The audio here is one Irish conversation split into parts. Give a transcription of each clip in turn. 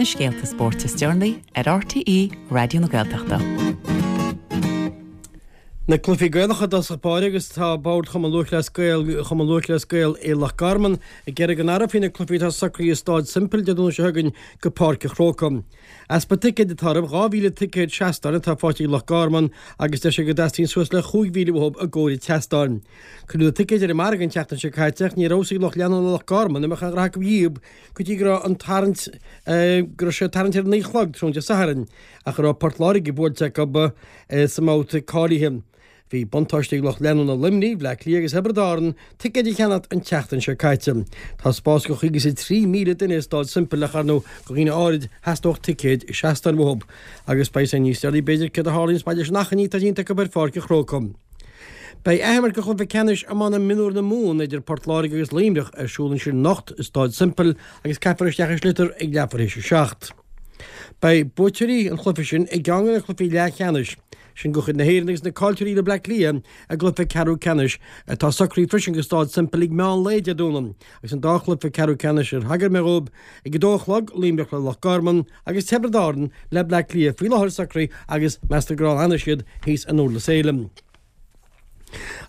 Na scéalta spóirt is deireanaí ar RTÉ Raidió na Gaeltachta. Na cluichí Gaelacha i dtosach báire agus tá Bord Chumann Lúthchleas Gael Chumann Lúthchleas Gael i Loch Garman ag iarraidh go n-athrófaí na cluichí atá socraithe i Stáid Semple Dé Domhnaigh seo chugainn go Páirc an Chrócaigh. Easpa ticéid atá orthu, 2,000 ticéad seastáin atá faighte ag Loch Garman agus deir siad go dteastaíonn suas le 5,000 uathu i gcomhair an tseastáin. Cuireadh na ticéid ar an margadh an tseachtain seo caite ach ní raibh fhios ag lucht leanúna Loch Garman an mbeadh aon ghraithe acu dhíob go dtí go raibh an tarraingt go raibh sé ag tarraingt ar a naoi a chlog tráthnóna Dé Sathairn ach go raibh Port Láirge buailte acu sa mbabhta cáilithe. Bhí buntáiste ag lucht leanúna Luimnigh, Bhleá Cliath agus Thiobraid Árann ticéid a cheannacht an tseachtain seo caite. Tá spás do chuig is 3,000 duine i Stáid Semple ach ar ndóigh do dhaoine áirid theastódh ticéid seastáin uathu. Agus beidh sé níos deireanaí b'fhéidir céard a tharlaíonns maidir leis an achainí atá déanta acu ar Pháirc an Chrócaigh. Beidh athimirt de chluiche ceannais iomána mionúr na Mumhan idir Port Láirge agus Luimneach ar siúl ansin anocht i Stáid Semple agus caithfear isteach an sliotar ag leathuair théis a 7. Beidh buaiteoirí an chluiche sin i gceann de na cluichí leathcheannais sin de chuid na hÉireann agus na caillteoirí le Bleá Cliath i gcluiche ceathrú ceannais atá socraithe freisin go Stáid Semple ag meán lae Dé Domhnaigh agus an dá chluiche ceathrú ceannais ar thagair mé dhóibh ag a dó a chlog, Luimneach le Loch Garman agus Tiobraid Árann le Bleá Cliath faoi láthair socraithe agus meastar gur ann a fhanfaidh siad thíos in Durlas Éile.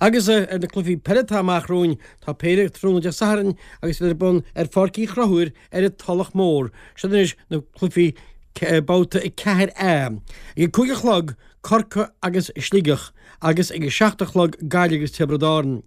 Agus ar na cluichí peile atá amach romhainn, tá péire tráthnóna Dé Sathairn agus iad ar bun ar Pháirc Uí Chonchúir ar an Tulach Mhór. Siod anois na cluichí babhta 4A. Ag a 5 a chlog, Corcaigh agus Sligeach agus ag a 7 a chlog, Gaillimh agus Tiobraid Árann.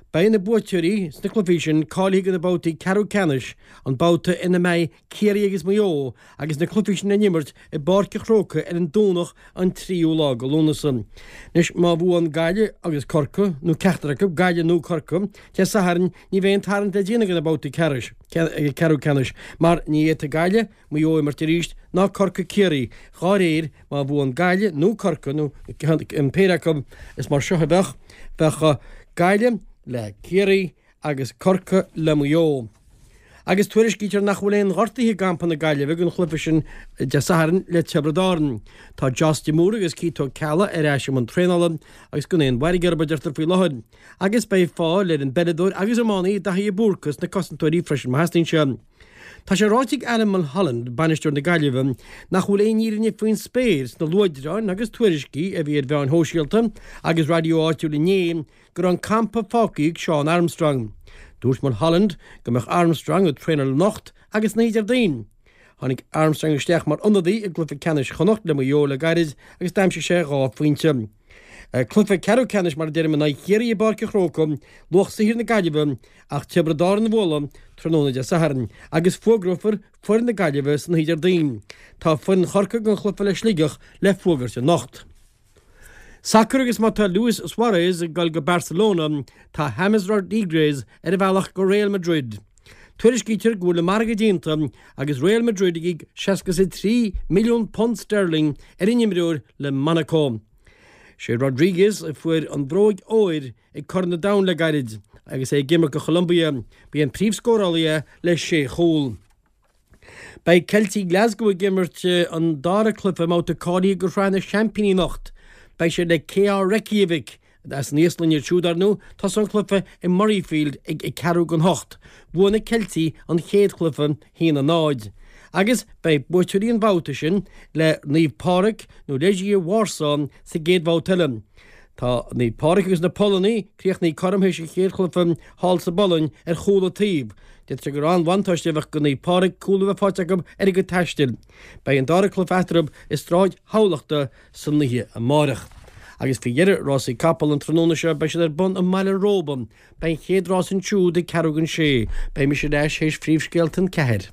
Beidh na buaiteoirí sna cluichí sin cáilithe do na babhtaí ceathrú ceannais, an babhta ina mbeidh Ciarraí agus Maigh Eo agus na cluichí sin á n-imirt i bPáirc an Chrócaigh ar an Domhnach an tríú lá de Lúnasa. Anois, má bhuann Gaillimh agus Corcaigh, nó ceachtar acu, Gaillimh nó Corcaigh, Dé Sathairn, ní bheidh an tarraingt le déanamh do na babhtaí ceathrú ceannais, mar ní fhéadfaidh Gaillimh, Maigh Eo a imirt arís, ná Corcaigh Ciarraí. Dhá réir, má bhuann Gaillimh nó Corcaigh, nó an péire acu, is mar seo a bheadh, bheadh Gaillimh le Ciarraí, agus Corcaigh le Maigh Eo. Agus tuairiscítear nach bhfuil aon ghortaithe i gcampa na Gaillimhe don chluiche sin Dé Sathairn le Tiobraid Árann. Tá Joss de Mórdha agus Keith Ó Ceallaigh ar ais i mbun traenála agus gan aon mhairg orthu, a deirtear faoi láthair. Agus beidh fáil ar an bpeileadóir agus iománaí Daithí de Búrca sna cosantóirí freisin má theastaíonn sé. Tá sé ráite ag Alan Mulholland, bainisteoir na Gaillimhe, nach bhfuil aon fhírinne faoin spéir sna luaidreáin agus tuairiscí a bhí ar mheáin shóisialta agus raidió áitiúil inné go raibh an campa fágtha ag Seán Armstrong. Dúirt Mulholland go mbeadh Armstrong ag traenáil anocht agus san oíche Déardaoin. Tháinig Armstrong isteach mar ionadaí i gcluiche ceannais Chonnacht le Maigh Eo le gairid agus d'aimsigh sé 2 phointe. Cluiche ceathrú ceannais mar a deirim in aghaidh Chiarraí i bPáirc an Chrócaigh, luach saothair na Gaillimhe ach Tiobraid Árann a bhualadh tráthnóna Dé Sathairn agus fuagrófar foireann na Gaillimhe san oíche Déardaoin. Tá foireann Chorcaí don chluiche le Sligeach le fuagairt anocht. Sacar agus má tá Luis Suarez ag dul go Barcelona, tá James Rodriguez ar a bhealach go Real Madrid. Tuairiscítear go bhfuil an margadh déanta agus Real Madrid ag íoc 63 milliún punt sterling ar an imreoir le Monaco. Sé Rodriguez a fuair an bhróg óir ag Corn an Domhain le gairid agus é ag imirt do Cholombia. Ba é an príomhscórálaí é le sé chúl. Beidh Ceiltigh Glasgow ag imirt an dara cluiche i mbabhta cáilithe do Shraith na Seaimpíní anocht. Beidh siad le KR Reykjavik, as an Íoslainn iad siúd, ar ndóigh. Tosóidh an cluiche i Murrayfield ag ceathrú don hocht. Bhuaigh na Ceiltigh an chéad chluiche, 1-0. Agus beidh buaiteoirí an bhabhta sin le Naomh Pádraig nó Legia Warsaw sa gcéad bhabhta eile. Tá Naomh Pádraig agus na Polannaigh críochnaithe cothrom théis an chéad chluiche thall sa bPolainn ar chúl an taobh. D'fhéadfadh sé gur an-bhuntáiste a bheadh do Naomh Pádraig cúl a bheith faighte acu ar a gcuid taistil. Beidh an dara cluiche eatarthu i Sráid Thamhlachta san oíche amárach. Agus faoi dheireadh rásaí capall an tráthnóna seo beidh siad ar bun i mBaile Róba. Beidh an chéad rás ansiúd ag ceathrú don sé. Beidh mise ar ais théis phríomhscéalta an ceathair.